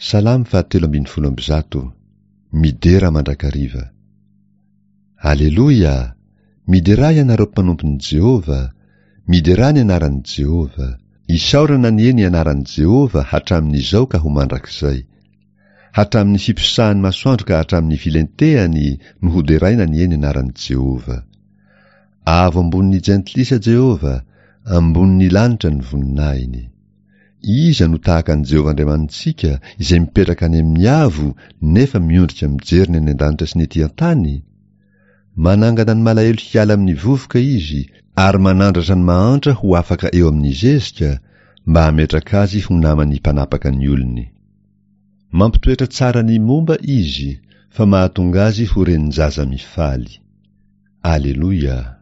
Salamo fahatelo 113. Midera mandrakariva. Aleloia! Miderà ianareo mpanompon'i Jehovah, miderà ny anaran'i Jehovah. Isaorana anie ny anaran'i Jehovah hatramin'izao ka ho mandrakizay. Hatramin'ny fiposahan'ny masoandro ka hatramin'ny filentehany no hoderaina anie ny anaran'i Jehovah. Avo ambonin'ny jentilisa Jehovah, ambonin'ny lanitra ny voninahiny. Iza no tahaka an'i Jehovah Andriamanitsika, izay mipetraka any amin'ny avo nefa miondrika mijery ny any an-danitra sy ny etỳ an-tany? Manangana ny malahelo hiala amin'ny vovoka izy, ary manandratra ny mahantra ho afaka eo amin'ny zezika, mba hametraka azy ho naman'ny mpanapaka ny olony. Mampitoetra tsara ny momba izy, fa mahatonga azy ho renin-jaza mifaly. Aleloia!